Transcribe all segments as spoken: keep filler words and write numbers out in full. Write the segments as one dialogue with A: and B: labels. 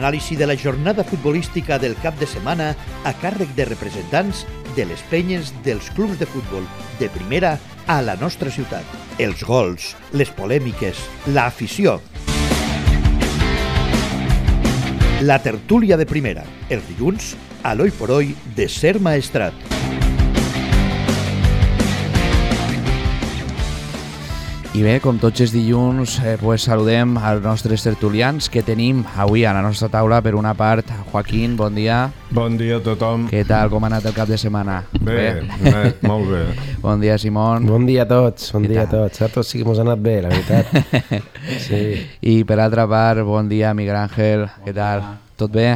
A: l'anàlisi de la jornada futbolística del cap de setmana a càrrec de representants de les penyes dels clubs de futbol de primera a la nostra ciutat. Els gols, les polèmiques, l'afició. La tertúlia de primera, els dilluns, a l'Oi por Hoy de Ser Maestrat.
B: I bé, com tots els dilluns, eh, pues saludem als nostres tertulians que tenim avui a la nostra taula. Per una part, Joaquín, bon dia.
C: Bon dia a tothom.
B: Què tal, com ha anat el cap de setmana?
C: Bé, bé? bé molt bé.
B: Bon dia, Simón.
D: Bon dia a tots, bon dia a tots. A tots sí que mos ha anat bé, la veritat. Sí.
B: I per altra part, bon dia, Miguel Ángel. Bon Què tal? Dia. Tot bé?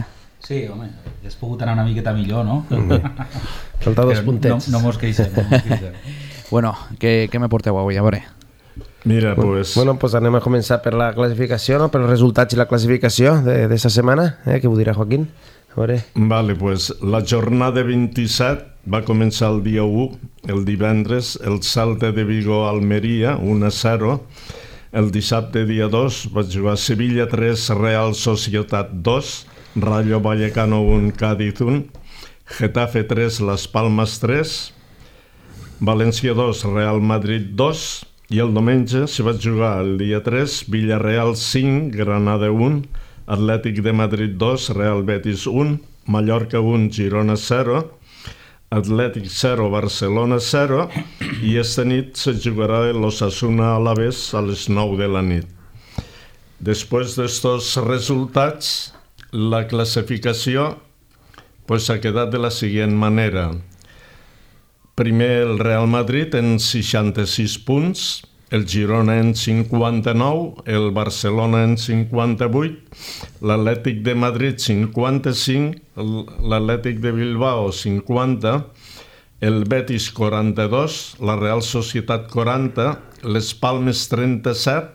E: Sí, home, hagués pogut anar una miqueta millor, no?
D: Falta dos puntets.
E: No, no mos queixem, no mos queixem.
B: Bueno, què, què me porteu avui? A veure.
C: Mira, pues...
D: Bueno, pues anem a començar per la classificació, no? Per els resultats i la classificació d'aquesta setmana. Eh? Què ho dirà Joaquín? A veure.
C: Vale, pues la jornada vint-i-set va començar el dia u, el divendres, el Celta de Vigo Almeria, un a zero. El dissabte, dia dos, va jugar Sevilla tres, Real Societat dos, Rayo Vallecano un, Cádiz un, Getafe tres, Las Palmas tres, València dos, Real Madrid dos, i el diumenge se va jugar el dia tres, Villarreal cinc, Granada un, Atlètic de Madrid dos, Real Betis un, Mallorca un, Girona zero, Atlètic zero, Barcelona zero, i esta nit se jugarà l'Osasuna Alavés a les nou de la nit. Després d'estos resultats, la classificació pues, ha quedat de la següent manera. Primer el Real Madrid en seixanta-sis punts, el Girona en cinquanta-nou, el Barcelona en cinquanta-vuit, l'Atlètic de Madrid cinquanta-cinc, l'Atlètic de Bilbao cinquanta, el Betis quaranta-dos, la Real Societat quaranta, les Palmes trenta-set,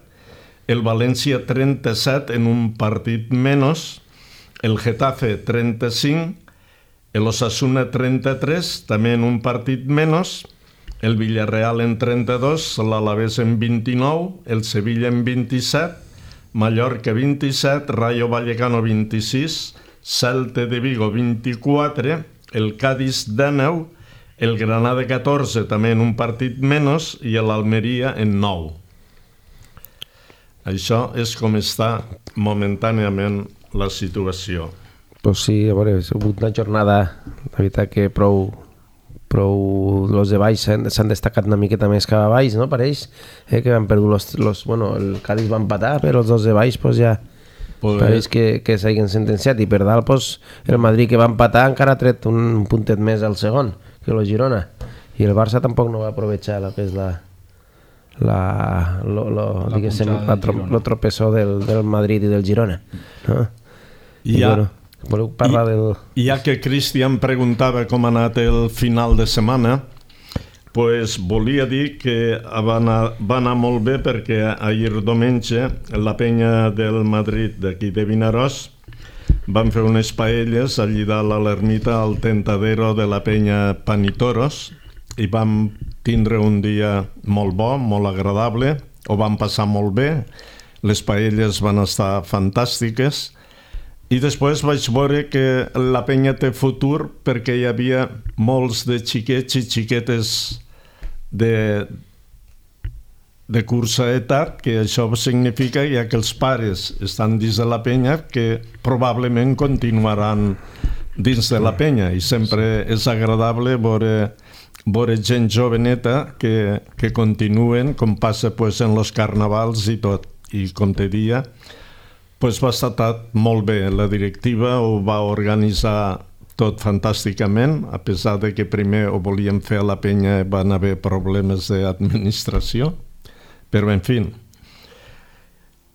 C: el València trenta-set en un partit menys, el Getafe trenta-cinc, el Osasuna trenta-tres, també en un partit menys, el Villarreal en trenta-dos, l'Alavés en vint-i-nou, el Sevilla en vint-i-set, Mallorca vint-i-set, Rayo Vallecano vint-i-sis, Celta de Vigo vint-i-quatre, el Cádiz dinou, el Granada catorze, també en un partit menys, i l'Almeria en nou. Això és com està momentàniament la situació.
D: Pues sí, a veure, ha sigut una jornada, la veritat que prou, prou, els de baix s'han destacat una miqueta més cap a baix, no? Pareix eh, que han perdut los, los, bueno, el Cádiz va empatar, però els dos de baix pues, ja pues... pareix que, que s'hagin sentenciat, i per dalt pues, el Madrid que va empatar encara ha tret un puntet més al segon que el Girona, i el Barça tampoc no va aprovechar el que és la la, lo, lo, la, la tro, lo tropezó del, del Madrid i del Girona, no?
C: I, I ja...
D: bueno, voleu parlar del...
C: Ja que Cristian preguntava com ha anat el final de setmana, pues volia dir que va anar, va anar molt bé perquè ahir diumenge la penya del Madrid d'aquí de Vinaròs van fer unes paelles allí dalt a l'ermita al tentadero de la penya Panitoros i vam tindre un dia molt bo, molt agradable, ho vam passar molt bé, les paelles van estar fantàstiques. I després vaig veure que la penya té futur perquè hi havia molts de xiquets i xiquetes de, de cursa edat, que això significa ja que els pares estan dins de la penya que probablement continuaran dins de la penya, i sempre és agradable veure, veure gent joveneta que, que continuen, com passa pues, en els carnavals i tot. I com te dia, pues va estar molt bé. La directiva ho va organitzar tot fantàsticament, a pesar de que primer ho volíem fer a la penya i van haver problemes d'administració, però en fi,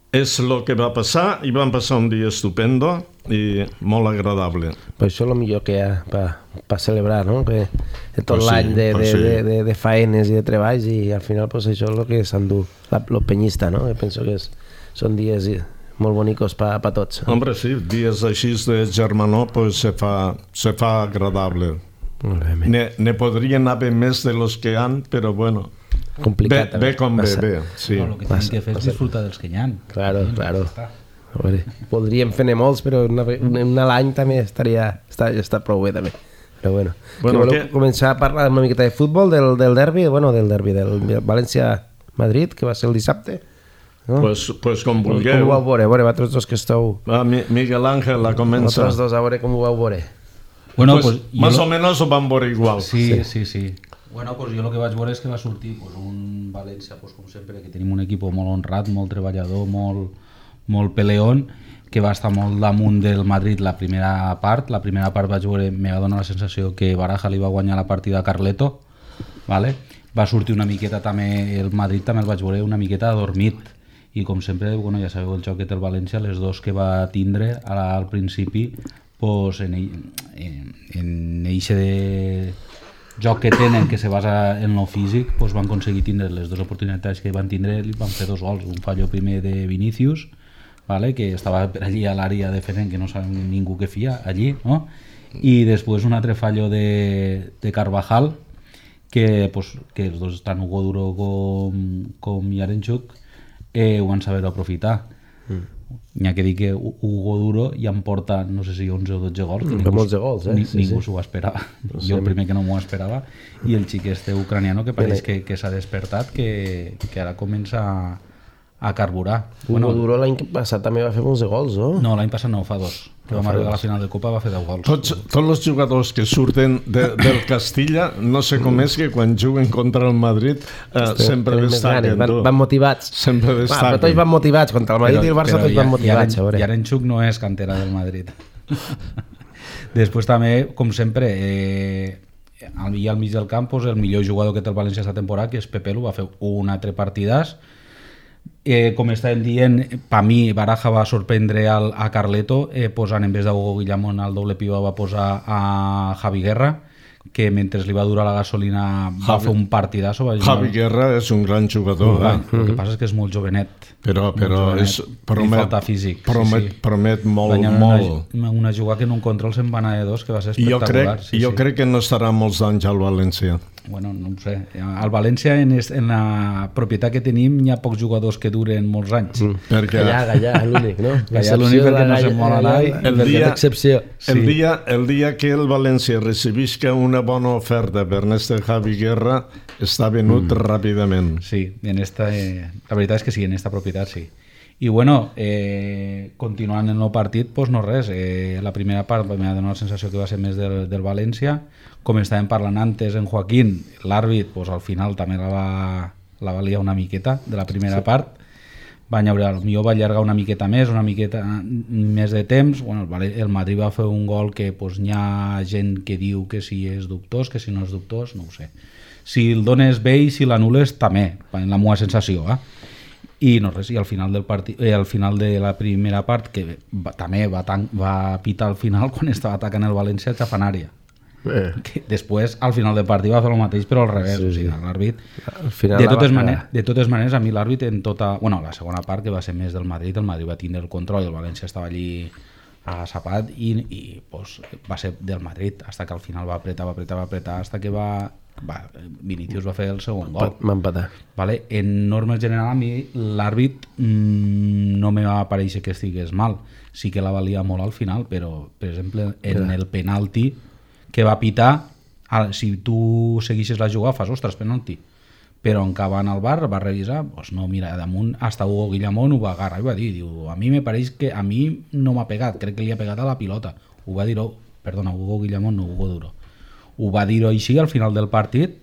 C: és el que va passar i vam passar un dia estupendo i molt agradable.
D: Pues això és el millor que hi ha per celebrar, no? Que tot
C: pues
D: l'any
C: sí,
D: de,
C: pues
D: de,
C: sí.
D: de, de, de faenes i de treballs, i al final pues això és el que s'endú el penyista, no? Jo penso que és, són dies molt bonicos per pa tots.
C: Hombre, sí, dies així de germanor pues, se, fa, se fa agradable. Ne, ne podrien haver més de los que han, però bueno,
D: complicat,
C: bé, bé com bé, bé. Sí.
E: No, el que tenen que fer és disfrutar dels que hi ha.
D: Claro, claro. A veure, podríem fer-ne molts, però una, una a l'any també estaria, està, està prou bé també. Però bueno,
C: bueno
D: que voleu
C: que...
D: començar a parlar una miqueta de futbol, del, del derbi, bueno, del derbi, del València-Madrid, que va ser el dissabte. No?
C: Pues, pues com vulgueu.
D: Com ho vau veure? A veure, vosaltres dos que esteu...
C: Ah, Miguel Ángel la comença.
D: Vosaltres dos, a veure com ho vau veure.
E: Bueno,
C: pues,
E: pues,
C: más
E: lo...
C: o menos ho van veure igual.
E: Sí, sí, sí. Bueno, pues jo el que vaig veure és que va sortir pues, un València, pues, com sempre, que tenim un equip molt honrat, molt treballador, molt, molt peleón, que va estar molt damunt del Madrid la primera part. La primera part vaig veure, me va donar la sensació que Baraja li va guanyar la partida a Carleto, ¿vale? Va sortir una miqueta també, el Madrid també el vaig veure una miqueta adormit, i com sempre, bueno, ja sabeu el joc que té el València, les dos que va tindre al principi, pues, en, en, en eixe de joc que tenen, que se basa en lo físic, pues van aconseguir tindre les dues oportunitats que van tindre, i van fer dos gols, un fallo primer de Vinícius, ¿vale? Que estava per allí a l'àrea defenent, que no sabem ningú que fia allí, no? I després un altre fallo de, de Carvajal, que, pues, que els dos, tant Hugo Duro com, com Yarenchuk, eh, ho van saber aprofitar. Mm. N'hi ha que dir que Hugo Duro ja em porta, no sé si onze o dotze gols, que
D: mm,
E: ningú,
D: molts de gols, eh?
E: ni,
D: sí,
E: ningú
D: sí.
E: s'ho esperava.
D: No
E: Jo el primer que no m'ho esperava, i el xic este ucraniano que pareix que, que s'ha despertat, que, que ara comença a, a carburar.
D: Hugo bueno, Duro l'any passat també va fer molts de gols, no?
E: No, l'any passat no, fa dos. Que vam arribar a la final de Copa, va fer deu gols.
C: Tots, tots els jugadors que surten de, del Castilla, no sé com és que quan juguen contra el Madrid eh, sempre destaquen.
D: Van, van motivats.
C: Sempre destaquen.
D: Ah, però tots van motivats, contra el Madrid però, i el Barça tots ja, van motivats.
E: I Yarenchuk no és cantera del Madrid. Després també, com sempre, eh, al, al mig del camp, pues, el millor jugador que té el València aquesta temporada, que és Pepelu, va fer un altre partidàs. Eh, com estàvem dient, per mi Baraja va sorprendre al, a Carleto, eh, posant en vez de Hugo Guillamón al doble pivot va posar a Javi Guerra, que mentre li va durar la gasolina va Javi, fer un partidazo. Va
C: Javi Guerra és un gran jugador.
E: Va,
C: eh?
E: El que passa és que és molt jovenet.
C: Però, però
E: molt jovenet,
C: és, promet,
E: li falta físic.
C: Promet, sí, sí. promet molt,
E: una,
C: molt.
E: Una, una jugada que en un control se'n va anar de dos, que va ser espectacular.
C: Jo crec,
E: sí,
C: jo
E: sí.
C: crec que no estarà molts anys al València.
E: Bueno, no ho sé. Al València, en, est, en la propietat que tenim, hi ha pocs jugadors que duren molts anys.
D: Mm. Perquè... Gallà, Gallà, l'únic, no?
E: Gallà l'únic perquè no se mola l'ai.
C: El, dia,
D: excepció.
C: el, sí. dia, el dia que el València recibisca una bona oferta per este Javi Guerra, està venut mm. ràpidament.
E: Sí, en esta, eh, la veritat és que sí, en esta propietat sí. I bueno, eh, continuant en el partit, pues no res, eh, la primera part m'ha donat la sensació que va ser més del, del València, com estàvem parlant antes en Joaquín, l'àrbit pues, al final també la va, la va liar una miqueta de la primera sí. part, va llaure, potser va allargar una miqueta més, una miqueta més de temps. Bueno, el Madrid va fer un gol que pues, hi ha gent que diu que si és dubtós, que si no és dubtós, no ho sé. Si el dones bé i si l'anules també, en la meva sensació, eh? I no res, i al final del partit, eh, al final de la primera part, que va, també va, tan, va pitar al final quan estava atacant el València a Xafanària. Eh. Que després, al final del partit, va fer el mateix, però al revés. Sí, sí. O sigui, l'àrbit... De totes, maneres, de totes maneres, a mi l'àrbit en tota... Bueno, la segona part, que va ser més del Madrid, el Madrid va tindre el control i el València estava allí agasapat i, i pues, va ser del Madrid, fins que al final va apretar, va apretar, va apretar, fins que va... Va, Vinícius va fer el segon gol.
D: Va empatar. Vale?
E: En normes general, a mi l'àrbit mmm, no me va aparèixer que estigués mal. Sí que la valia molt al final, però, per exemple, en el penalti que va pitar, si tu seguissis la jugada, fas, ostres, penalti. Però en que va anar al bar, va revisar, doncs no, mira, damunt, hasta Hugo Guillamón ho va agarrar i va dir, diu, a mi me pareix que a mi no m'ha pegat, crec que li ha pegat a la pilota. Ho va dir, oh, perdona, Hugo Guillamón, no Hugo Duro. Ho va dir així al final del partit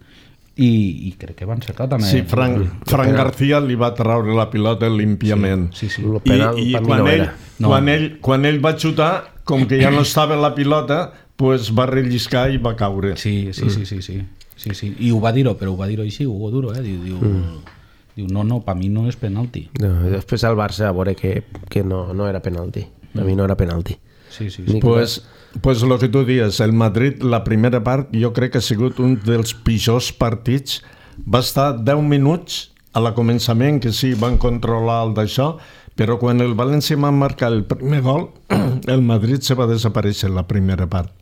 E: i, i crec que va encertar també.
C: Sí, Frank, Frank García li va treure la pilota límpiament.
E: Sí, sí, sí.
C: I, i quan, no ell, no. quan, ell, quan ell va xutar, com que ja no estava la pilota, pues va relliscar i va caure.
E: Sí, sí, sí, sí, sí. sí, sí. I ho va dir-ho, però ho va dir-ho així, Hugo Duro, eh? Diu, diu, mm. diu no, no, per mi no és penalti.
D: No, després al Barça a veure que, que no, no era penalti. Per mm. mi no era penalti.
E: Sí, sí, sí.
C: Pues, pues lo que tu dius, el Madrid, la primera part, jo crec que ha sigut un dels pitjors partits. Va estar deu minuts a la començament, que sí, van controlar el d'això, però quan el València va marcar el primer gol, el Madrid se va desaparèixer la primera part.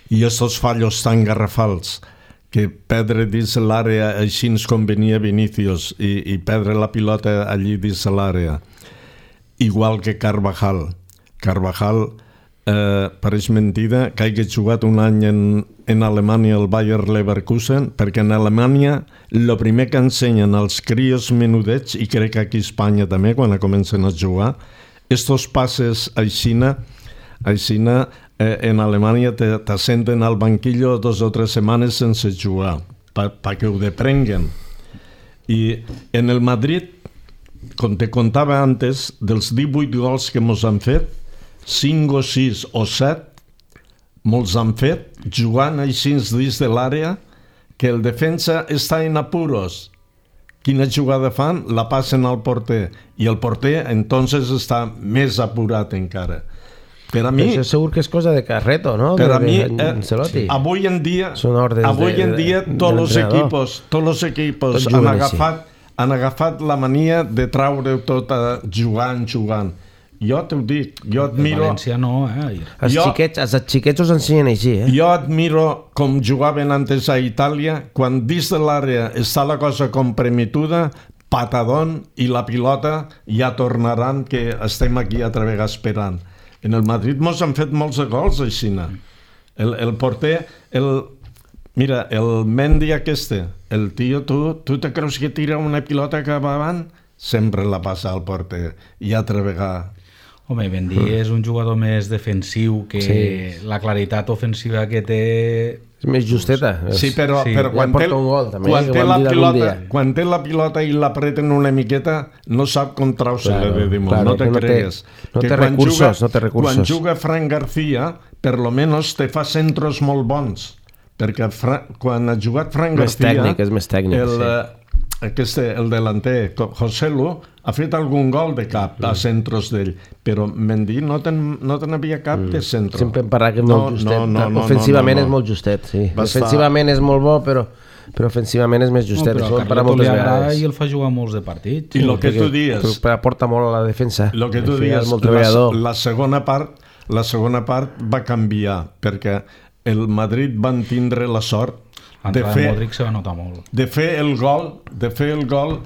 C: I estos fallos tan garrafals, que perdre dins l'àrea així com venia Vinícius i, i perdre la pilota allí dins l'àrea. igual que Carvajal. Carvajal eh, pareix mentida que hagi jugat un any en, en Alemanya al Bayer Leverkusen, perquè en Alemanya el primer que ensenyen als crios menudets, i crec que aquí a Espanya també, quan comencen a jugar, estos passes aixina, aixina eh, en Alemanya te, te senten al banquillo dos o tres setmanes sense jugar, per pa que ho deprenguen. I en el Madrid, com te contava antes, dels divuit gols que mos han fet, cinc o sis o set molts han fet jugant així dins de l'àrea, que el defensa està en apuros. Quina jugada fan? La passen al porter, i el porter entonces està més apurat encara. Per a mi,
D: això segur que és cosa de Carreto, no?
C: Per
D: de,
C: a mi,
D: de,
C: eh, avui en dia, avui
D: de,
C: en dia
D: de,
C: tots els
D: de
C: equipos, tots els equipos han agafat, han agafat la mania de traure tot a jugant, jugant. Jo t'ho dic, jo admiro...
E: El València no, eh?
D: Els
C: jo,
D: xiquets, els xiquets us ensenyen així, eh?
C: Jo admiro com jugaven antes a Itàlia, quan dins de l'àrea està la cosa compromituda, patadón, i la pilota ja tornaran, que estem aquí altra vegada esperant. En el Madrid mos han fet molts gols així. El, el porter, el, mira, el Mendy aquest, el tio, tu, tu te creus que tira una pilota cap avant? Sempre la passa al porter, i altra vegada.
E: Home, Mendy mm. és un jugador més defensiu, que sí. La claritat ofensiva que té...
D: És més justeta.
C: Sí, però, sí. però quan, té, un gol, també, quan, té la pilota, quan té la pilota i l'apreten una miqueta, no sap com trau-se-la claro, de damunt, claro, no te cregues.
D: No té, no té recursos, juga, no té recursos.
C: Quan juga Fran García, per lo menos te fa centros molt bons, perquè Fra, quan ha jugat Fran
D: més
C: García...
D: Tècnic, és més tècnic,
C: el,
D: sí.
C: Aquest, el delanter, José Lu, ha fet algun gol de cap mm. a centros d'ell, però Mendy no ten, no ten havia cap mm. de centro.
D: Sempre em parla que és molt no, justet. No, no, no, Ofensivament no, no, no. és molt justet, sí. Va Defensivament estar... és molt bo, però, però ofensivament és més justet.
E: No, però a Carleto li agrada i el fa jugar molts de partits.
C: I el que tu dius...
D: Aporta molt a la defensa.
C: El que tu dius, la, la, segona part, la segona part va canviar, perquè el Madrid van tindre la sort de fer,
E: Modric se va notar molt.
C: de fer el gol, de fer el gol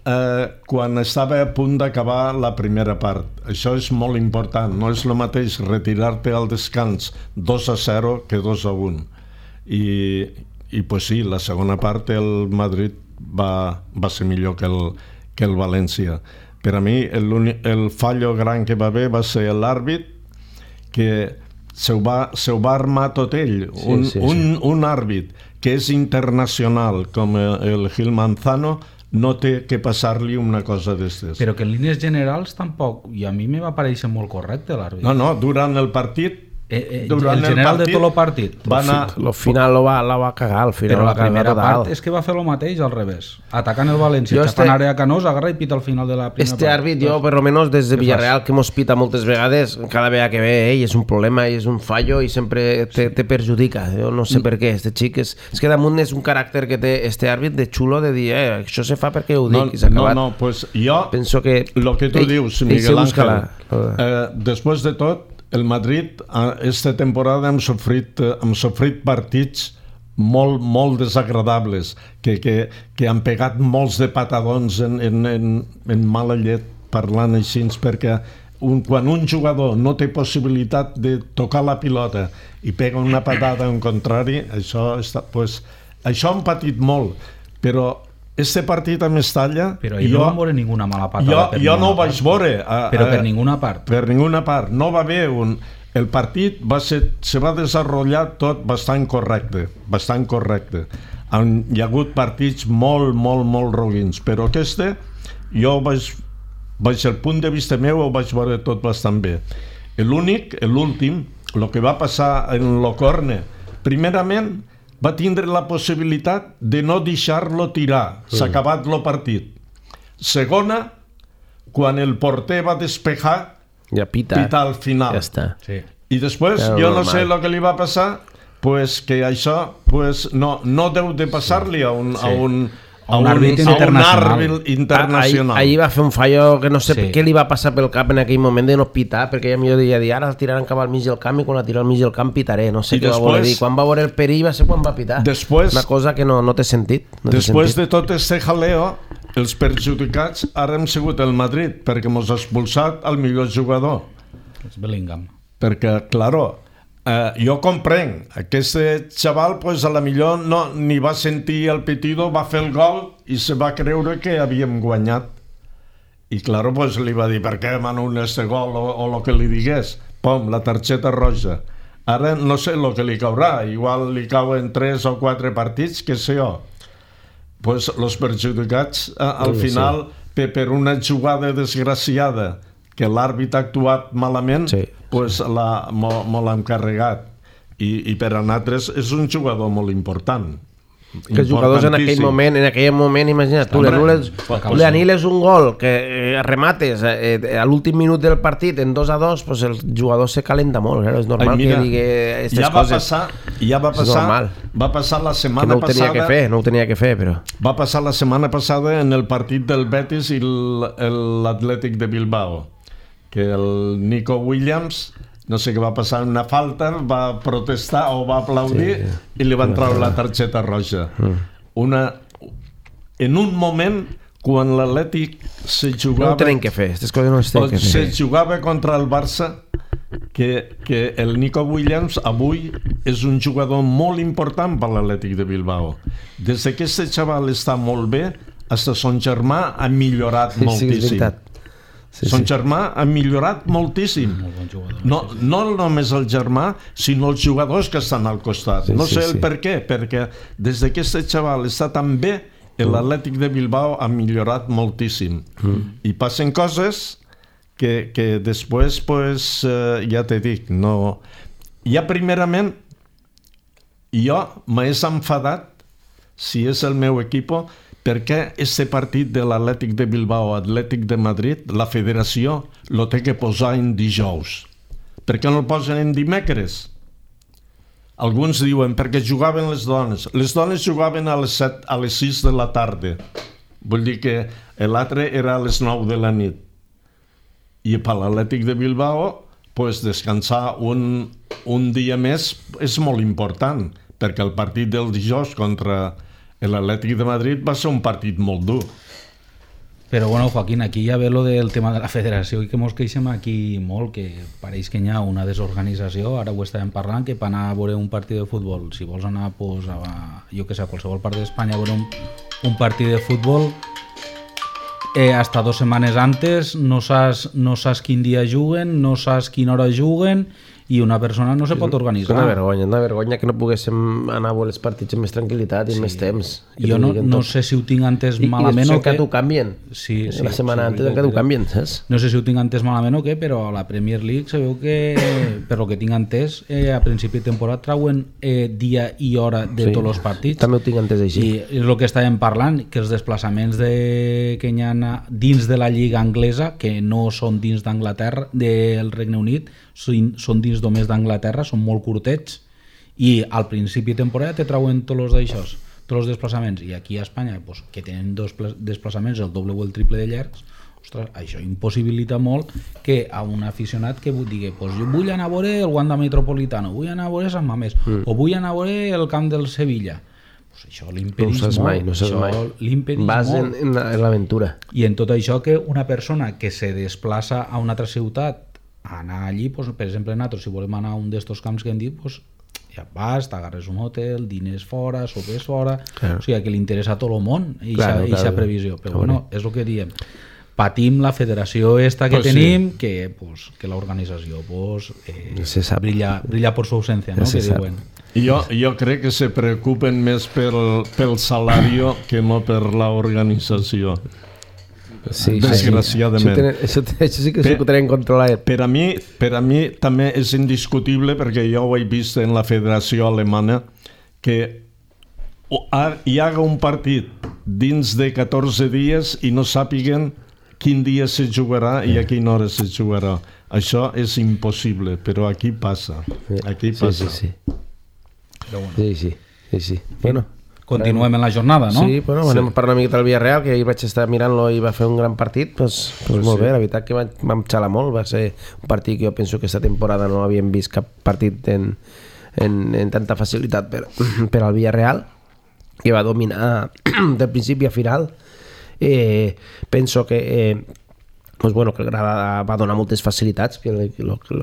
C: eh, quan estava a punt d'acabar la primera part. Això és molt important. No és el mateix retirar-te al descans dos a zero que dos a un. I, i pues sí, la segona part el Madrid va, va ser millor que el, que el València. Per a mi el, el fallo gran que va haver va ser l'àrbit, que se ho va, se ho va armar tot ell. Sí, un, sí, sí. Un, un àrbit que és internacional com el Gil Manzano no té que passar-li una cosa d'estes.
E: Però que en línies generals tampoc, i a mi me va parèixer molt correcte l'àrbit.
C: No, no, durant el partit...
E: Eh, eh, el general el partit, de tot el partit.
C: Va anar...
D: Lo final lo va, la va cagar, al final.
E: Però la primera part és que va fer el mateix al revés. Atacant el València, jo xapant este... àrea Canós, agarra i pita al final de la primera
D: este
E: part.
D: Este àrbit, jo, per lo menos, des de Villarreal, que mos pita moltes vegades, cada vegada que ve, ell és un problema, és un fallo i sempre te, te perjudica. Jo no sé per què, este xic és... És que damunt és un caràcter que té este àrbit de xulo de dir, eh, això se fa perquè ho dic, no, i s'ha acabat.
C: No, no, pues jo...
D: Penso que...
C: Lo que tu ell, dius, Miguel Ángel, eh, després de tot, el Madrid, aquesta temporada hem sofrit, hem sofrit partits molt, molt desagradables, que, que, que han pegat molts de patadons en, en, en, en mala llet, parlant així, perquè un, quan un jugador no té possibilitat de tocar la pilota i pega una patada en contrari, això, està, pues, això han patit molt, però este partit a Mestalla...
E: Però jo no vam veure ninguna mala patada.
C: Jo, jo no ho vaig veure. A,
E: però per ninguna part.
C: Per ninguna part. No va haver un... El partit va ser, se va desenvolupar tot bastant correcte. Bastant correcte. Han, hi ha hagut partits molt, molt, molt roguins. Però este, jo vaig... Vaig el punt de vista meu ho vaig veure tot bastant bé. L'únic, l'últim, el que va passar en l'Ocorne, primerament... va tindre la possibilitat de no deixar-lo tirar. S'ha acabat el partit. Segona, quan el porter va despejar,
D: ja pita,
C: pita al final.
D: Ja està.
E: Sí.
C: I després, ja jo no sé el que li va passar, pues que això pues, no, no deu de passar-li a un... Sí. A un
E: a un àrbit internacional.
C: internacional.
D: Ahir va fer un fallo que no sé
E: sí.
D: què li va passar pel cap en aquell moment de no pitar, perquè ja millor diria dir, ara el tiraran cap al mig del camp i quan la tira al mig del camp pitaré, no sé I què després, va voler dir. Quan va veure el perill va ser quan va pitar.
C: Després,
D: una cosa que no, no té sentit. No
C: després
D: té sentit.
C: de tot este jaleo, els perjudicats ara hem sigut el Madrid, perquè mos ha expulsat el millor jugador.
E: És Bellingham.
C: Perquè, claro, eh, jo comprenc, aquest xaval pues, a la millor no, ni va sentir el pitido, va fer el gol i se va creure que havíem guanyat. I claro, pues, li va dir, per què mano un este gol o, o lo que li digués? Pom, la targeta roja. Ara no sé el que li caurà, igual li cauen tres o quatre partits, que sé jo. Pues los perjudicats, eh, al sí, final, sí. per una jugada desgraciada, que l'àrbit ha actuat malament, sí. pues la, mo, mo l'han carregat. I, I per a nosaltres és un jugador molt important.
D: Que els jugadors en aquell moment, en aquell moment, imagina't, tu li aniles un gol, que eh, remates eh, a l'últim minut del partit en dos a dos, pues el jugador se calenta molt, eh? És normal. Ai, mira, que digui aquestes
C: ja va
D: coses.
C: Passar, ja va passar, va passar la setmana
D: que no ho tenia
C: passada,
D: que fer, no ho tenia que fer, però...
C: Va passar la setmana passada en el partit del Betis i l'Atlètic de Bilbao, que el Nico Williams, no sé què va passar, una falta, va protestar o va aplaudir sí, i li van treure la targeta roja. Mm. Una, en un moment, quan l'Atlètic se jugava...
D: No ho tenen que fer, aquestes coses no les tenen que fer.
C: Se jugava contra el Barça, que, que el Nico Williams avui és un jugador molt important per l'Atlètic de Bilbao. Des que aquest xaval està molt bé, fins son germà ha millorat sí, moltíssim. Sí, és veritat. Sí, son sí. germà ha millorat moltíssim. Bon jugador, no, sí, sí. no només el germà, sinó els jugadors que estan al costat. Sí, no sé sí, el sí. per què, perquè des que aquest xaval està tan bé, l'Atlètic de Bilbao ha millorat moltíssim. Mm. I passen coses que, que després, pues, eh, ja te dic, no... Ja primerament, jo m'he enfadat, si és el meu equip, perquè este partit de l'Atlètic de Bilbao, Atlètic de Madrid, la federació lo té que posar en dijous. Per què no el posen en dimecres? Alguns diuen perquè jugaven les dones. Les dones jugaven a les set, a les sis de la tarda. Vull dir que l'altre era a les nou de la nit. I per l'Atlètic de Bilbao, pues, descansar un, un dia més és molt important, perquè el partit del dijous contra l'Atlètic de Madrid va ser un partit molt dur.
E: Però bueno, Joaquín, aquí ja ve lo del tema de la federació i que mos queixem aquí molt, que pareix que hi ha una desorganització, ara ho estàvem parlant, que per anar a veure un partit de futbol, si vols anar pues, a, jo que sé, a qualsevol part d'Espanya a veure un, un partit de futbol, eh, hasta dos setmanes antes no saps, no saps quin dia juguen, no saps quina hora juguen, i una persona no se pot organitzar.
D: És una vergonya, una vergonya que no poguéssim anar a veure els partits amb més tranquil·litat i sí. més temps.
E: Jo no, no sé si ho tinc antes I, malament
D: i
E: o què.
D: I t'ho canvien.
E: Sí, sí,
D: la setmana
E: sí,
D: antes encara t'ho canvien, saps?
E: No sé si ho tinc antes malament o què, però a la Premier League se veu que, per lo que tinc entès, eh, a principi de temporada trauen eh, dia i hora de sí, tots els partits.
D: També ho tinc entès així.
E: I és el que estàvem parlant, que els desplaçaments de, que hi ha dins de la Lliga anglesa, que no són dins d'Anglaterra, del Regne Unit, són, són dins només d'Anglaterra, són molt curtets, i al principi de temporada te trauen tots els d'aixòs, tots els desplaçaments, i aquí a Espanya, pues, que tenen dos desplaçaments el doble o el triple de llargs, ostres, això impossibilita molt que a un aficionat que digui, pues, jo vull anar a veure el Wanda Metropolitano, vull anar a veure Sant Mamés, mm. o vull anar a veure el camp del Sevilla. Pues això l'impedís
D: no
E: molt.
D: Mai, no
E: això
D: mai.
E: L'impedís
D: Vas
E: molt.
D: En, en l'aventura.
E: I en tot això que una persona que se desplaça a una altra ciutat a anar allí, pues, per exemple, nosaltres, si volem anar a un d'estos camps que hem dit, pues, ja vas, t'agarres un hotel, dines fora, sopes fora, claro. O sigui, que li interessa a tot el món i claro, aquesta claro. previsió. Però claro. Bueno, és el que diem. Patim la federació esta que pues tenim, sí. que, pues, que l'organització pues, eh, brilla, brilla por su ausencia, no? Que diuen.
C: Jo, jo crec que se preocupen més pel, pel salari que no per l'organització.
D: Sí,
C: desgraciadament.
D: Sí. Això, tenen, això sí que per, ho tenen controlat.
C: Per a, mi, per a mi també és indiscutible, perquè jo ho he vist en la federació alemana, que hi haga un partit dins de catorze dies i no sàpiguen quin dia se jugarà i a quina hora se jugarà. Això és impossible, però aquí passa. Aquí passa.
D: Sí, sí, sí. Sí, sí, sí, sí. Bueno,
E: continuem en la jornada, no?
D: Sí, bueno, anem sí. a parlar una miqueta del Villarreal, que ahir vaig estar mirant-lo i va fer un gran partit, pues, pues, pues molt sí. bé, la veritat que vam xalar molt, va ser un partit que jo penso que aquesta temporada no havíem vist cap partit en, en, en tanta facilitat per, per al Villarreal, que va dominar del principi a final, Eh, penso que eh, pues bueno, que el Granada va donar moltes facilitats, que el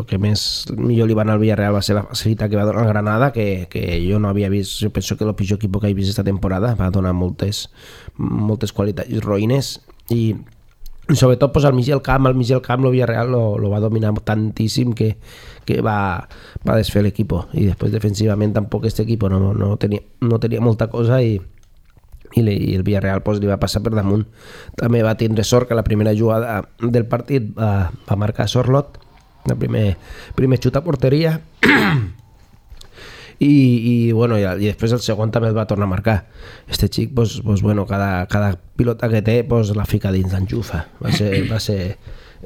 D: que més millor li va anar al Villarreal va ser la facilitat que va donar el Granada, que, que jo no havia vist, jo penso que el pitjor equip que he vist esta temporada, va donar moltes, moltes qualitats roïnes, i sobretot pues, al mig del camp, al mig del camp el Villarreal lo, lo va dominar tantíssim que, que va, va desfer l'equip, i després defensivament tampoc este equip no, no, tenia, no tenia molta cosa, i i el Villarreal pues, li va passar per damunt. També va tindre sort que la primera jugada del partit va, va marcar Sorloth, el primer, primer xut a porteria, i, i, bueno, i, i després el segon també el va tornar a marcar. Este xic pues, pues, bueno, cada, cada pilota que té pues, la fica dins, l'enxufa. Va ser, va ser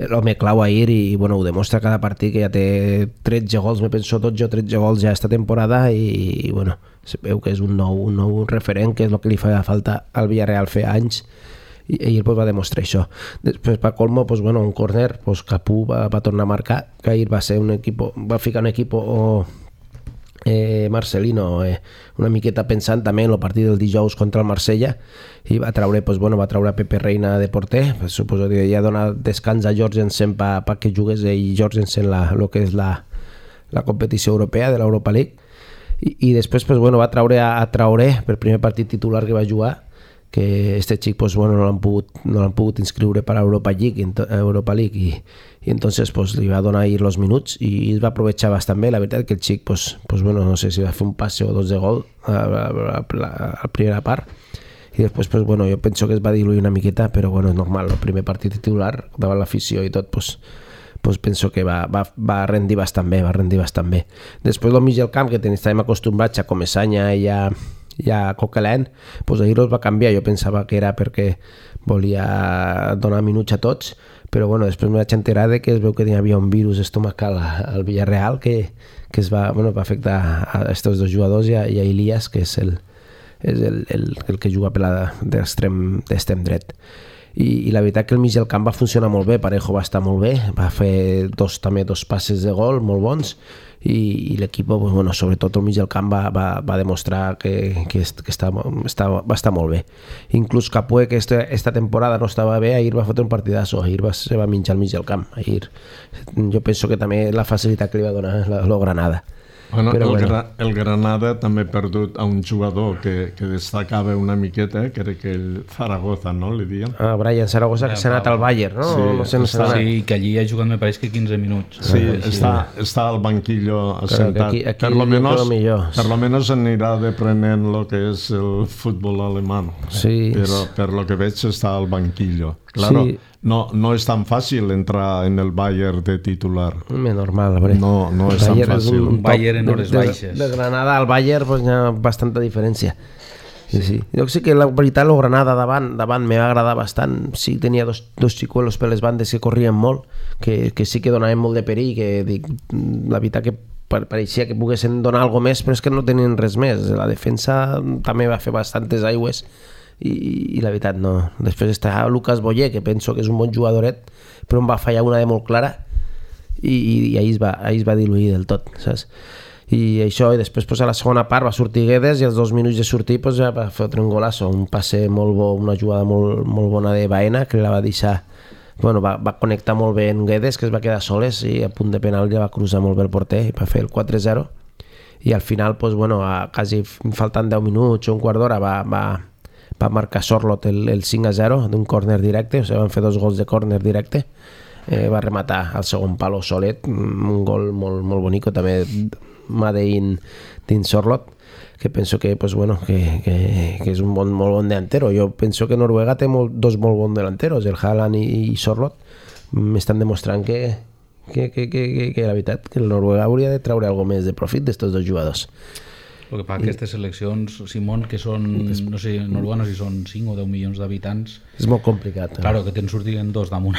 D: l'home clau ahir, i bueno, ho demostra cada partit, que ja té tretze gols, me penso dotze o tretze gols ja esta temporada, i, i bueno, se veu que és un nou, un nou referent, que és el que li fa falta al Villarreal fer anys, i ahir pues, va demostrar això. Després per colmo, pues, bueno, un córner, pues, Capú va, va tornar a marcar, que ahir va ser un equip, va ficar un equip o, eh, Marcelino eh, una miqueta pensant també en el partit del dijous contra el Marsella, i va traure, pues, bueno, va traure a Pepe Reina de porter, pues, suposo que ja dona descans a Jorgensen per pa que jugués ell Jorgensen la, lo que és la, la competició europea de l'Europa League. I, i després pues, bueno, va traure a, a Traoré per primer partit titular que va jugar, que este xic pues, bueno, no l'han pogut, no l'han pogut inscriure per a Europa League, Europa League i, i entonces pues, li va donar ahir els minuts i es va aprovechar bastant bé. La veritat que el xic pues, pues, bueno, no sé si va fer un passe o dos de gol a la, a la, a la primera part, i després pues, bueno, jo penso que es va diluir una miqueta, però bueno, és normal, el primer partit titular davant l'afició i tot, pues, pues penso que va, va, va rendir bastant bé, va rendir bastant bé. Després del mig del camp, que estàvem acostumbrats a Comesaña i a, i a Coquelin, pues ahir els va canviar. Jo pensava que era perquè volia donar minuts a tots, però bueno, després me vaig enterar de que es veu que hi havia un virus estomacal al Villarreal que, que es va, bueno, va afectar a estos dos jugadors i a, i a Elias, que és el, és el, el, el que juga per l'extrem dret. I, i la veritat que el mig del camp va funcionar molt bé. Parejo va estar molt bé, va fer dos, també dos passes de gol molt bons, i, i l'equip, pues, bueno, sobretot el mig del camp va, va, va demostrar que, que, que està, està, va estar molt bé. Inclús Capué, que esta, esta temporada no estava bé, ahir va fotre un partidazo, ahir va, se va menjar al mig del camp. Ahir, jo penso que també la facilitat que li va donar la, la Granada.
C: Bueno,
D: Però,
C: el,
D: bueno.
C: Gra el Granada també ha perdut a un jugador que, que destacava una miqueta, que era que el Zaragoza, no? Li diuen.
D: Ah, Brian Zaragoza, que s'ha anat al Bayern, no?
C: Sí,
D: no sé, no
E: està, sí, que allí ha jugat, me pareix que quinze minuts.
C: Sí,
E: ah,
C: està, està al banquillo assentat.
D: Aquí, aquí
C: per lo menos,
D: millor.
C: per lo menos anirà deprenent lo que és el futbol alemán.
D: Sí.
C: Però per lo que veig està al banquillo. Claro,
D: Sí.
C: no, no és tan fàcil entrar en el Bayern de titular.
D: Més normal, hombre.
C: No, no és tan
D: Bayern
C: fàcil.
D: un top.
E: Bayern en hores
D: de,
E: baixes.
D: De, de Granada al Bayern pues, hi ha bastanta diferència. Sí, sí. Jo sé que la veritat el Granada davant, davant me va agradar bastant. Sí, tenia dos, dos xicuelos per les bandes que corrien molt, que, que sí que donaven molt de perill, que dic, la veritat que pareixia que poguessin donar alguna més, però és que no tenien res més. La defensa també va fer bastantes aigües, i, i la veritat no. Després està Lucas Boyer, que penso que és un bon jugadoret, però em va fallar una de molt clara, i, i, i ahir, es va, ahir es va diluir del tot, saps? I això, i després pues, a la segona part va sortir Guedes, i als dos minuts de sortir pues, ja va fotre un golasso, un passe molt bo, una jugada molt, molt bona de Baena, que la va deixar, bueno, va, va connectar molt bé en Guedes, que es va quedar soles, i a punt de penal ja va cruzar molt bé el porter i va fer el quatre zero, i al final pues, bueno, a, quasi faltant deu minuts o un quart d'hora va, va, va marcar Sorloth el, el cinc a zero d'un córner directe, o sigui, van fer dos gols de córner directe, eh, va rematar al segon palo solet, un gol molt, molt bonic, també mà d'in Sorloth, que penso que, pues, bueno, que, que, que és un bon, molt bon delantero. Jo penso que Noruega té molt, dos molt bons delanteros, el Haaland i, i Sorloth, m'estan demostrant que, que, que, que, que, que la veritat que el Noruega hauria de treure alguna més de profit d'estos dos jugadors.
E: El que fa que aquestes seleccions, Simón, que són, no sé, Noruega no sé si són cinc o deu milions d'habitants.
D: És molt complicat.
E: Claro, que te'n sortirien dos damunt,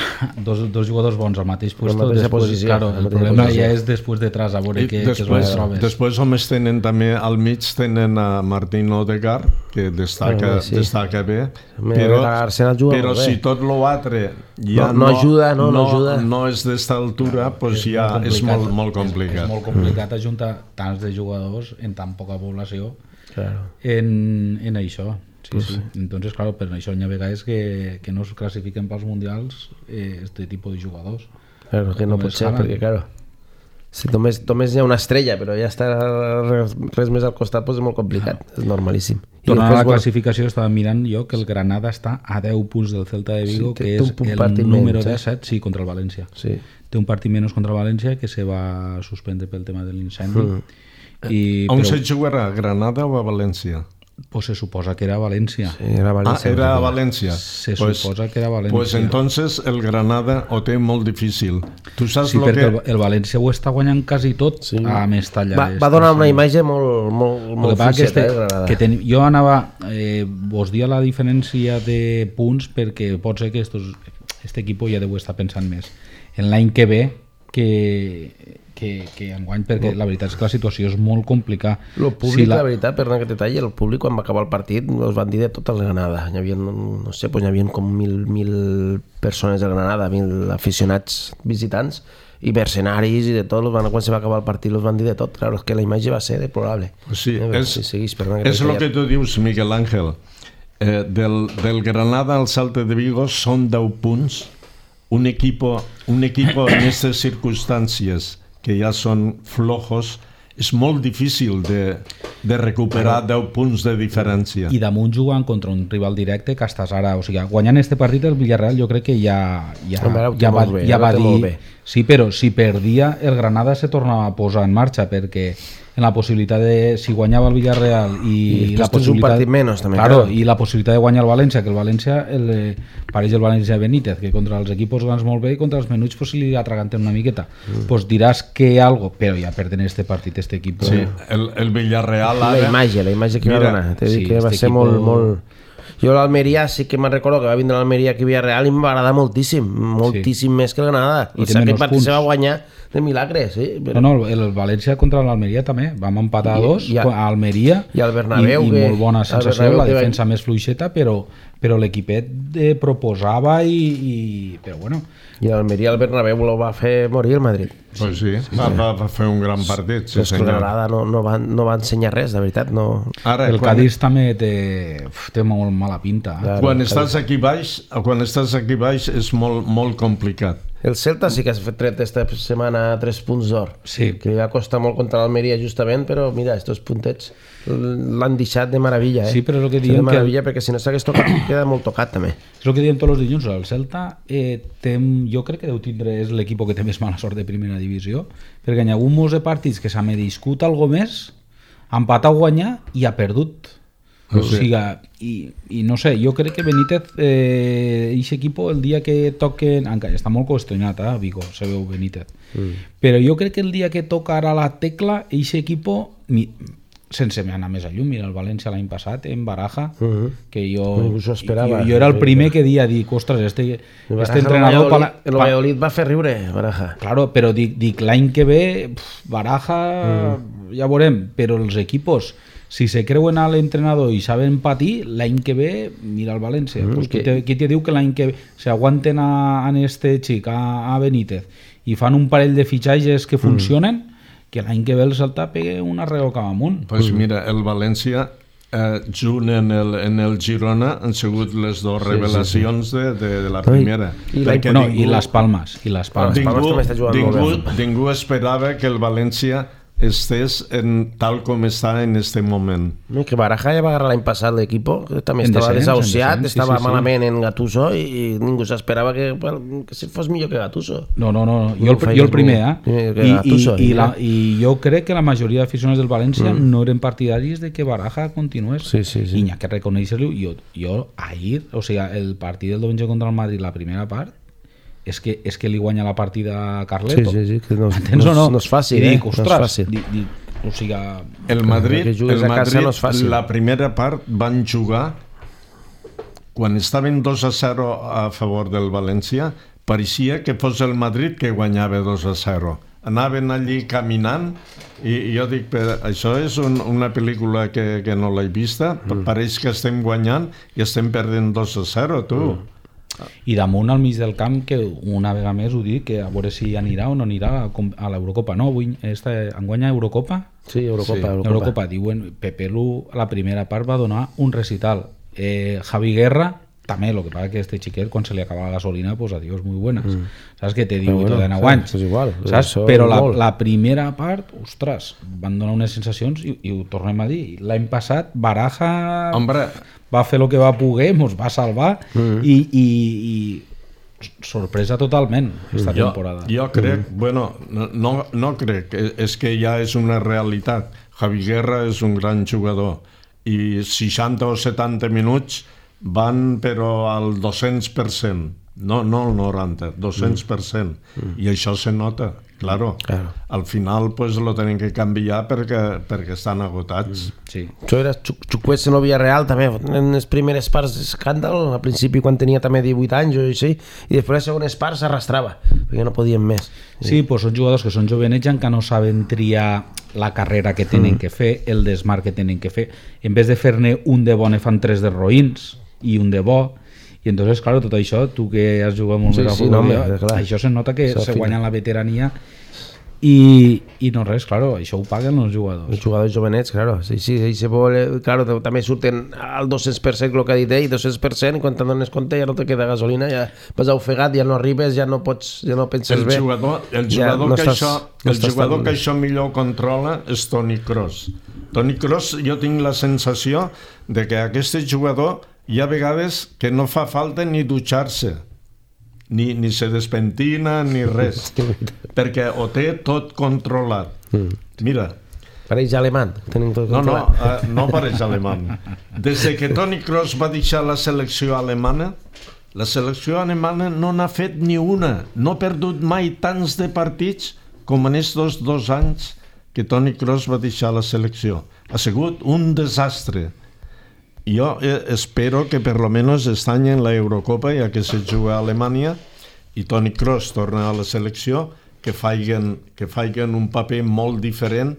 E: dos, dos jugadors bons al mateix
D: Però
E: puesto.
D: en mateixa
E: Després,
D: posició,
E: claro,
D: en
E: el
D: mateixa
E: problema
D: posició.
E: ja és després detrás, a veure
C: I
E: què, què és el
C: després,
E: que trobes.
C: després homes tenen també al mig tenen a Martín Odegaard, que destaca,
D: Ah, sí.
C: destaca bé,
D: Me-
C: però,
D: l'Arsenal juga
C: però
D: molt bé.
C: si tot l'altre ja
D: No- no ajuda, no, no ajuda.
C: no és d'esta altura, pues ja és molt, molt complicat.
E: És, és molt complicat ajuntar tants de jugadors en tan poca població
D: Claro.
E: en, en això. Sí, sí. Entonces, claro, per això n'hi ha vegades que, que no es classifiquen pels mundials eh, este tipus de jugadors.
D: Claro, que no pot ser, perquè, claro, si només, només hi ha una estrella, però ja està res, res més al costat, doncs és molt complicat, ah. és normalíssim.
E: Tornant a la classificació, estava mirant jo que el Granada està a deu punts del Celta de Vigo, sí, que és el número menys, disset, sí, contra el València.
D: Sí.
E: Té un partit menys contra el València, que se va suspendre pel tema de l'incendi.
C: Mm. I, On però... se jugarà, a Granada o a València?
E: Pues se suposa que era València.
D: Sí, era València.
C: Ah, era a València.
E: Se
C: pues,
E: suposa que era València.
C: Pues entonces el Granada ho té molt difícil. Tu saps
E: sí,
C: lo
E: perquè
C: que...
E: el, el València ho està guanyant quasi tot sí. a Mestalla.
D: Va, va donar una imatge molt, molt, molt fluixeta,
E: que este,
D: eh,
E: que ten, jo anava... Eh, vos dia la diferència de punts perquè pot ser que estos, este equip ja deu estar pensant més en l'any que ve que... que, que enguany, perquè no. la veritat és que la situació és molt complicada.
D: El públic, si la... la veritat, per anar que detalli, el públic quan va acabar el partit els van dir de tot el Granada. Hi havia, no sé, pues, hi havia com mil, mil persones del Granada, mil aficionats visitants i mercenaris i de tot, van, quan se va acabar el partit els van dir de tot. Claro, és que la imatge va ser deplorable.
C: Pues sí,
D: eh,
C: és,
D: si seguís, perdona,
C: és el que tu dius, Miguel Ángel. Eh, del, del Granada al Celta de Vigo són deu punts. Un equipo, un equipo en aquestes circumstàncies que ja són flojos, és molt difícil de, de recuperar deu punts de diferència.
E: I damunt jugant contra un rival directe que estàs ara, o sigui, guanyant este partit el Villarreal jo crec que ja, ja, ja va, bé, ja va dir... Sí, però si perdia el Granada se tornava a posar en marxa perquè en la possibilitat de, si guanyava el Villarreal i,
D: I
E: la possibilitat,
D: un partit menys també,
E: claro, i la possibilitat de guanyar el València, que el València el, pareix el València Benítez, que contra els equipos grans molt bé i contra els menuts pues, li atraganten una miqueta, mm. pues diràs que algo, però ja perden este partit este equip.
C: Sí, el, el Villarreal ara...
D: La imatge, la imatge que Mira, va donar, t'he sí, dit que va ser equipo... molt, molt... Jo l'Almeria sí que me'n recordo que va vindre l'Almeria aquí a Villarreal i em va agradar moltíssim, moltíssim sí. més que el Granada. I té menys punts. Se va guanyar de milagre, sí. Però...
E: No, no, el València contra l'Almeria també. Vam empatar a dos, a Almeria,
D: i al Bernabéu,
E: i, i
D: que...
E: molt bona sensació, la defensa va... més fluixeta, però, però l'equipet eh, proposava i, i... Però bueno...
D: I l'Almeria al Bernabéu lo va fer morir el Madrid.
C: Pues sí, sí, va, va, va fer un gran partit. Sí,
D: sí, però Granada no, no, va, no va ensenyar res, de veritat. No...
E: Ara, el quan... Cádiz també té, té molt mala pinta.
C: Claro, quan estàs aquí baix, quan estàs aquí baix és molt, molt complicat.
D: El Celta sí que ha fet tret esta setmana tres punts d'or,
E: sí.
D: que va costar molt contra l'Almeria justament, però mira, estos puntets l'han deixat de meravella, eh?
E: Sí, però és el que diem
D: de meravella,
E: que...
D: perquè si no s'hagués tocat queda molt tocat també.
E: És el que diem tots els dilluns, el Celta eh, tem, jo crec que deu tindre, és l'equip que té més mala sort de primera divisió, perquè hi ha hagut molts de partits que s'ha merescut algo més, ha empatat a guanyar i ha perdut. O sigui, i, i no sé, jo crec que Benítez eh, aquest equip el dia que toquen, encara està molt qüestionat eh, Vigo, se veu Benítez mm. però jo crec que el dia que toca ara la tecla aquest equip, sense anar més a llum, mira el València l'any passat en Baraja, uh -huh. que jo,
D: esperava,
E: jo, jo era el primer que dia dic, ostres, este, este entrenador
D: el Valladolid, el Valladolid va fer riure Baraja,
E: claro, però dic, dic l'any que ve pf, Baraja uh-huh. ja veurem, però els equipos si se creuen a l'entrenador i saben patir, l'any que ve mira el València, mm, pues, que... qui, te, qui te diu que l'any que ve s'aguanten a, a este xic, a, a Benítez i fan un parell de fitxatges que funcionen, mm. que l'any que ve el Celta pegue un arreo cap amunt.
C: Pues mira, el València eh, junt en el, en el Girona han sigut les dues sí, revelacions sí, sí. De, de, de la primera.
E: I, I, no, ningú, i les Palmes. I les Palmes.
C: Ningú, ningú, ningú esperava que el València estés en, tal com està en este moment.
D: Que Baraja ja va agarrar l'any passat l'equip, també estava desahuciat, sí, estava sí, sí, malament sí. en Gattuso i, i ningú s'esperava que, que si fos millor que Gattuso.
E: No, no, no, jo el, jo el primer, eh? I, Gattuso, i, i, la, I jo crec que la majoria d'aficionats del València mm. no eren partidaris de que Baraja continués.
D: Sí, sí, sí.
E: I n'hi ha que reconèixer-lo. Jo, jo ahir, o sigui, el partit del diumenge contra el Madrid, la primera part, és que, és que li guanya la partida a Carleto.
D: Sí, sí, sí, que no,
E: no,
D: no, no és fàcil,
E: dic,
D: eh? No és fàcil.
E: Dic, dic, o sigui,
C: el Madrid, el Madrid no la primera part van jugar quan estaven dos a zero a favor del València, pareixia que fos el Madrid que guanyava dos a zero. Anaven allí caminant i jo dic, però això és un, una pel·lícula que, que no l'he vista, mm. pareix que estem guanyant i estem perdent dos a zero, tu. Mm.
E: I damunt al mig del camp, que una vegada més ho dic, que a veure si anirà o no anirà a l'Eurocopa, no? Avui esta, enguanya Eurocopa?
D: Sí, Eurocopa.
E: Sí. Eurocopa. Eurocopa, diuen, Pepe Lu a la primera part va donar un recital. Eh, Javi Guerra, també, el que passa que este xiquet, quan se li acaba la gasolina, pues adiós, muy buenas. Mm. Saps que té divuit o dinou anys?
D: És igual.
E: Saps? Però la, la primera part, ostres, van donar unes sensacions i, i ho tornem a dir. L'any passat, Baraja
C: Hombre.
E: va fer el que va poder, mos va salvar mm. i, i, i sorpresa totalment esta
C: jo,
E: temporada.
C: Jo crec, mm. bueno, no, no crec, és que ja és una realitat. Javi Guerra és un gran jugador i seixanta o setanta minuts van però al dos-cents per cent, no, no al noranta, dos-cents per cent, mm. i això se nota, claro. claro. Al final pues lo tenen que canviar perquè, perquè estan agotats.
E: Mm. Sí.
D: Això era Chukwueze en el Villarreal també, en les primeres parts d'escàndal, al principi quan tenia també divuit anys o així, i després les segones parts s'arrastrava, perquè no podien més.
E: Sí, pues són jugadors que són jovenets que no saben triar la carrera que tenen mm. que fer, el desmarc que tenen que fer. En vez de fer-ne un de bon, fan tres de roïns i un de bo, i entonces, claro, tot això, tu que has jugat molt
D: sí,
E: més a
D: sí,
E: futbol,
D: no,
E: això se nota que
D: això
E: se
D: fina.
E: guanya la veterania i, i no res, claro, això ho paguen els jugadors.
D: Els jugadors jovenets, claro, sí, sí, sí se vol, claro, també surten al dos-cents per cent el que ha dit ell, dos-cents per cent, i quan te'n dones compte ja no te queda gasolina, ja vas ofegat, ja no arribes, ja no pots, ja no penses
C: el
D: bé.
C: Jugador, el jugador, ja no que, estàs, això, no el jugador tan... que això millor controla és Toni Kroos. Toni Kroos, jo tinc la sensació de que aquest jugador hi ha vegades que no fa falta ni dutxar-se, ni, ni se despentina ni res, perquè ho té tot controlat. Mira,
D: pareix alemany, tenim tot
C: no,
D: controlat.
C: no, uh, no pareix alemany. Des que Toni Kroos va deixar la selecció alemana, la selecció alemana no n'ha fet ni una, no ha perdut mai tants de partits com en estos dos anys que Toni Kroos va deixar la selecció. Ha sigut un desastre. Jo eh, espero que per lo menos aquest any en la Eurocopa, ja que se juga a Alemanya i Toni Kroos torna a la selecció, que faiguen, que faiguen un paper molt diferent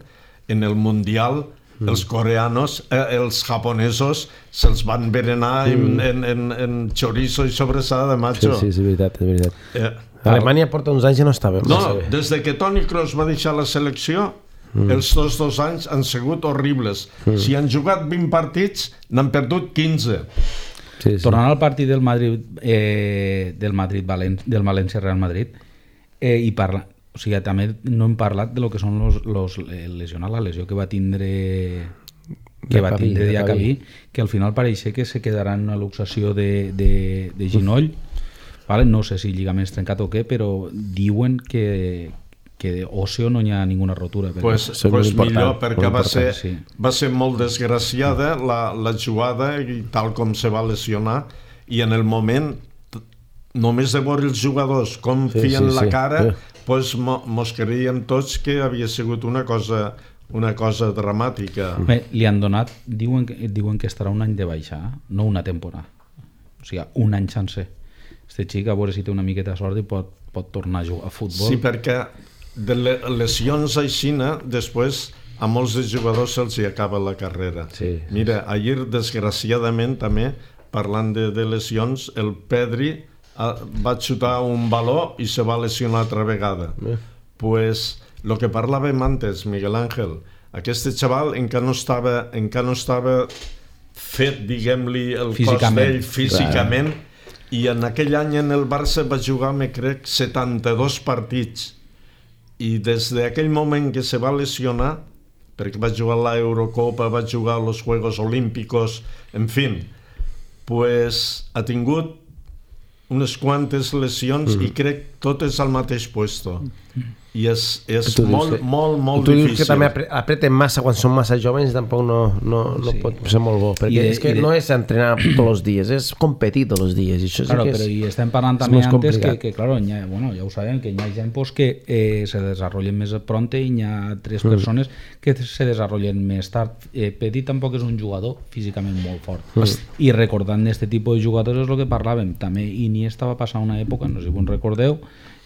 C: en el Mundial. Mm. Els coreanos, eh, els japonesos se'ls van berenar mm. en, en, en chorizo i sobrassada, macho.
D: Sí, sí, és veritat, és veritat.
C: Eh,
D: Alemanya porta uns anys i no estava.
C: No, des de que Toni Kroos va deixar la selecció, Mm. els dos dos anys han sigut horribles. Mm. Si han jugat vint partits, n'han perdut quinze.
E: Sí, sí. Tornant al partit del Madrid, eh, del Madrid Valen del València Real Madrid, eh, i parla, o sigui, també no hem parlat de lo que són los, los lesionats, la lesió que va tindre que va tindre Diacabí, que al final pareix que se quedarà en una luxació de, de, de ginoll, vale? No sé si lligament trencat o què, però diuen que que òseo no hi ha ninguna rotura.
C: Pues, pues millor, perquè va ser, sí. va ser molt desgraciada la, la jugada i tal com se va lesionar, i en el moment només de veure els jugadors com sí, fien sí, la cara sí. pues mo, mos creiem tots que havia sigut una cosa una cosa dramàtica.
E: Bé, li han donat, diuen, diuen que estarà un any de baixa, no una temporada, o sigui, un any sencer. Este xic, a veure si té una miqueta de sort i pot, pot tornar a jugar a futbol.
C: Sí, perquè de lesions aixina, després a molts de jugadors se'ls hi acaba la carrera. Sí. Mira, ahir, desgraciadament, també, parlant de, de lesions, el Pedri ah, va xutar un baló i se va lesionar altra vegada. Eh. Pues, lo que parlàvem antes, Miguel Ángel, aquest xaval encara no estava, encara no estava fet, diguem-li, el cos d'ell físicament, clar. I en aquell any en el Barça va jugar, me crec, setanta-dos partits. I des d'aquell moment que se va lesionar, perquè va jugar a l'Eurocopa, va jugar als Juegos Olímpicos, en fi, pues ha tingut unes quantes lesions mm. i crec totes al mateix puesto. I és, és molt, dius, molt, molt
D: tu
C: difícil.
D: Tu dius que també apreten massa quan són massa joves, tampoc no, no, no sí. pot ser molt bo, perquè I, és que de... no és entrenar tots els dies, és competir tots els dies. I això
E: claro,
D: sí que
E: però
D: és,
E: i estem parlant també antes que, que claro, ha, bueno, ja ho sabem, que hi ha gent pues, que eh, se desenvolupen més pronte i hi ha tres mm. persones que se desenvolupen més tard. Eh, Petit tampoc és un jugador físicament molt fort. Mm. I recordant d'aquest tipus de jugadors és el que parlàvem. També Iniesta va passar una època, no sé si vos recordeu,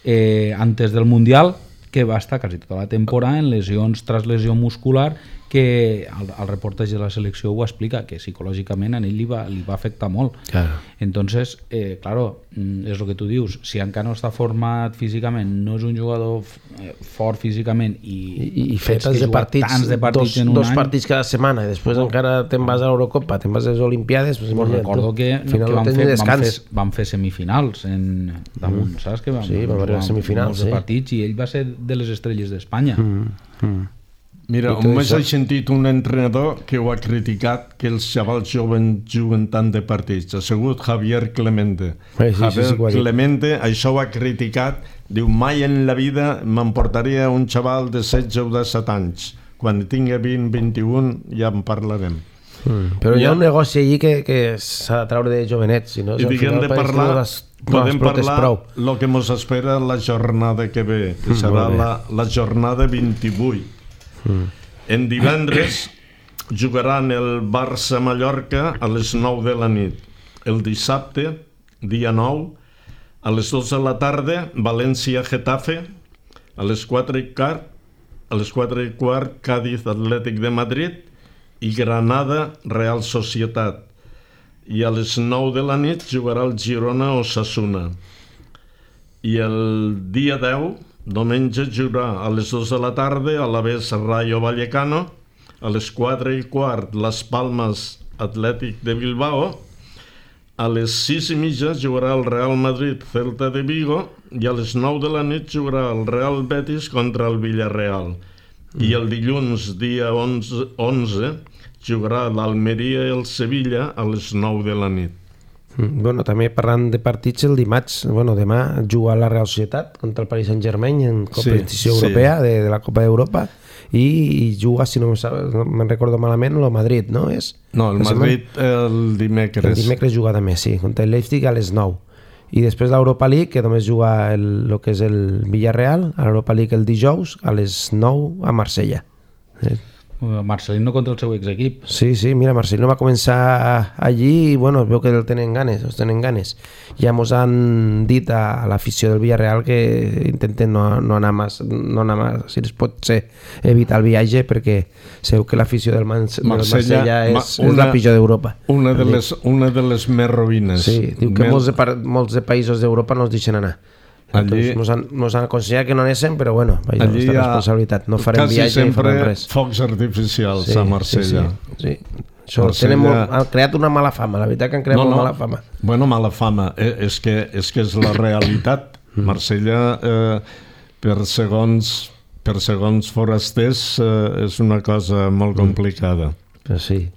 E: eh, antes del Mundial, que va estar quasi tota la temporada en lesions tras lesió muscular que el, el reportatge de la selecció ho explica, que psicològicament a ell li va, li va afectar molt.
D: Claro.
E: Entonces, eh, claro, és el que tu dius, si encara no està format físicament, no és un jugador eh, fort físicament i,
D: I, i fer tants de partits,
E: tants de partits
D: dos,
E: en un
D: dos
E: any,
D: partits cada setmana i després oh. encara te'n vas a l'Eurocopa, te'n vas a les Olimpiades, pues,
E: pues recordo que, que
D: no
E: vam, fer, vam, fer, vam fer semifinals en damunt, mm. saps? Que vam,
D: sí, vam arribar a semifinals,
E: sí.
D: partits
E: i ell va ser de les estrelles d'Espanya.
D: Mm. Mm.
C: Mira, només he sentit un entrenador que ho ha criticat, que els xavals joves juguen tant de partits. Ha sigut Javier Clemente.
D: Sí, sí,
C: Javier
D: sí, sí,
C: Clemente això ho ha criticat. Diu, mai en la vida m'emportaria un xaval de setze o disset anys. Quan tingui vint, vint-i-un ja en parlarem.
D: Mm. Però hi ha un negoci allí que, que s'ha de treure de jovenets. Si no,
C: I diguem de parlar, no les, podem
D: no
C: parlar el que ens espera la jornada que ve, que serà la, la jornada vint-i-vuit. Mm. En divendres jugaran el Barça-Mallorca a les nou de la nit. El dissabte, dia nou, a les dos de la tarda, València-Getafe, a les quatre i quart, a les quatre i quart, Cádiz-Atlètic de Madrid i Granada-Real Societat. I a les nou de la nit jugarà el Girona-Osasuna. I el dia deu, diumenge, jugarà a les dues de la tarda a l'Alavés Rayo Vallecano, a les quatre i quart Las Palmas Atlètic de Bilbao, a les sis i mitja jugarà el Real Madrid Celta de Vigo i a les nou de la nit jugarà el Real Betis contra el Villarreal. Mm. I el dilluns, dia onze, onze jugarà l'Almeria i el Sevilla a les nou de la nit.
D: Bueno, també parlant de partits, el dimarts, bueno, demà juga la Real Societat contra el Paris Saint-Germain en competició sí, europea sí. De, de la Copa d'Europa i, i juga, si no me'n recordo malament, el Madrid, no? És,
C: no, el Madrid el dimecres.
D: El dimecres juga també, sí, contra el Leipzig a les nou. I després l'Europa League, que només juga el, el que és el Villarreal, a l'Europa League el dijous a les nou a Marsella. Eh?
E: Marcelino contra el seu exequip.
D: Sí, sí, mira, Marcelino va començar allí i bueno, es veu que el tenen ganes, els tenen ganes. Ja mos han dit a, a l'afició del Villarreal que intenten no, no anar més, no anar més, si es pot ser, evitar el viatge perquè sabeu que l'afició del, Man Marsella, del Marsella és, una, és la pitjor d'Europa.
C: Una, de les, una de les més rovines.
D: Sí, diu que Mel... molts, de, molts de països d'Europa no els deixen anar. Allí, nos, han, nos han aconsellat que no anéssim, però bueno, vaja, allí nostra responsabilitat, no farem viatge ni farem res.
C: Focs artificials sí, a Marsella.
D: Sí, sí, sí. Això Marsella... molt, han creat una mala fama, la veritat que han creat no, molt no. mala fama.
C: Bueno, mala fama, eh, és, que, és que és la realitat. Marsella, eh, per, segons, per segons forasters, eh, és una cosa molt complicada.
D: Però sí.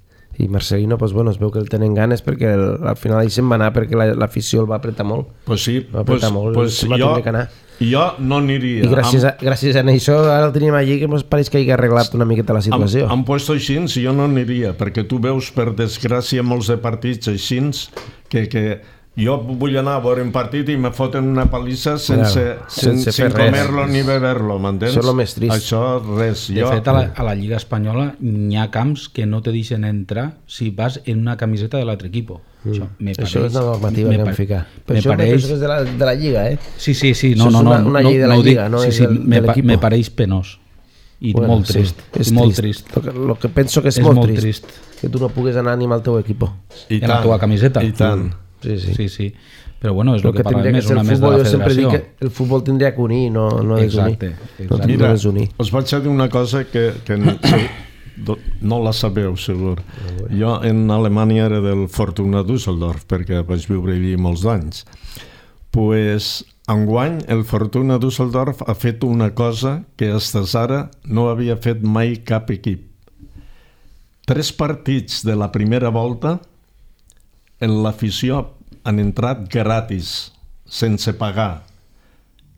D: I Marcelino, pues bueno, es veu que el tenen ganes perquè el, al final ell se'n va anar perquè l'afició la, el va apretar molt.
C: Pues sí,
D: va apretar
C: pues,
D: molt,
C: pues
D: va
C: jo,
D: que anar.
C: jo no aniria.
D: I gràcies a, gràcies a això ara el tenim allí que ens pareix que hi ha arreglat una miqueta la situació.
C: Han puesto així, jo no aniria, perquè tu veus per desgràcia molts de partits així que, que jo vull anar a veure un partit i me foten una palissa sense, claro, sense, sense comer-lo ni beber-lo, m'entens?
D: Això és el més trist.
C: Això, res.
E: De
C: jo...
E: fet, a la, a la Lliga Espanyola n'hi ha camps que no te deixen entrar si vas en una camiseta de l'altre equip.
D: Mm. Això, pareix, això és una normativa que han ficat. Però això
E: pareix...
D: és de la, de la Lliga, eh?
E: Sí, sí, sí. No,
D: això
E: no, no,
D: és una, una llei de la
E: no,
D: Lliga, no
E: sí,
D: és
E: sí,
D: del,
E: me,
D: de l'equip.
E: Me pareix penós. I bueno, molt trist.
D: Sí, és
E: molt
D: trist.
E: trist.
D: Lo que, lo que penso que és,
E: és
D: molt,
E: molt
D: trist,
E: trist.
D: Que tu no puguis anar ni amb el teu equip.
E: I en la teva camiseta.
C: I tant.
D: Sí, sí.
E: sí, sí. Però bueno, és el que, que parlem més, una
D: el
E: més
D: futbol,
E: de la federació.
D: Que el futbol tindria que unir, no, no desunir.
E: Exacte.
D: No
C: Mira,
D: no desunir.
C: us vaig dir una cosa que, que no, no la sabeu, segur. Jo en Alemanya era del Fortuna Düsseldorf, perquè vaig viure allí molts anys. Pues, enguany, el Fortuna Düsseldorf ha fet una cosa que fins ara no havia fet mai cap equip. Tres partits de la primera volta en l'afició han entrat gratis, sense pagar.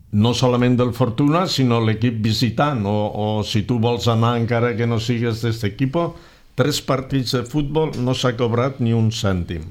C: No solament del Fortuna, sinó l'equip visitant, o, o si tu vols anar encara que no sigues d'aquest equip, tres partits de futbol no s'ha cobrat ni un cèntim.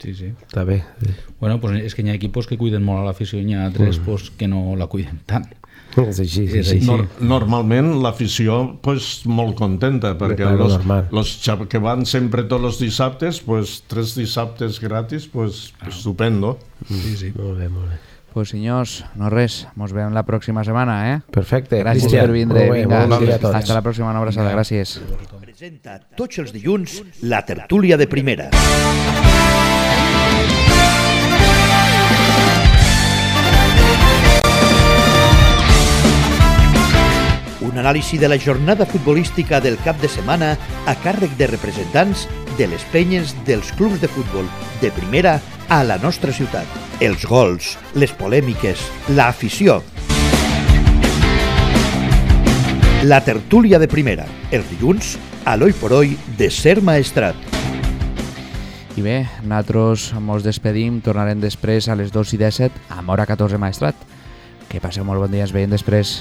E: Sí, sí.
D: Està bé. Sí.
E: Bueno, pues és que hi ha equipos que cuiden molt a l'afició i hi ha altres mm. pues, que no la cuiden tant.
D: És així, és així.
C: Nor normalment l'afició pues, molt contenta perquè los, los que van sempre tots els dissabtes, pues, tres dissabtes gratis, pues, estupendo.
E: Sí, sí.
D: Molt bé, molt bé.
B: Pues senyors, no res, mos veiem la pròxima setmana, eh?
D: Perfecte.
B: Gràcies
D: Cristian,
B: per vindre,
D: molt bé,
B: vinga.
D: bon dia a tots.
B: Hasta la pròxima, una abraçada, gràcies.
A: Presenta tots els dilluns la tertúlia de primera. Un anàlisi de la jornada futbolística del cap de setmana a càrrec de representants de les penyes dels clubs de futbol de primera a la nostra ciutat. Els gols, les polèmiques, l'afició. La tertúlia de primera, els dilluns, a l'Oi por Oi de Ser Maestrat.
B: I bé, nosaltres mos despedim, tornarem després a les dos i disset a Mora catorze Maestrat. Que passeu molt bon dia, ens veiem després.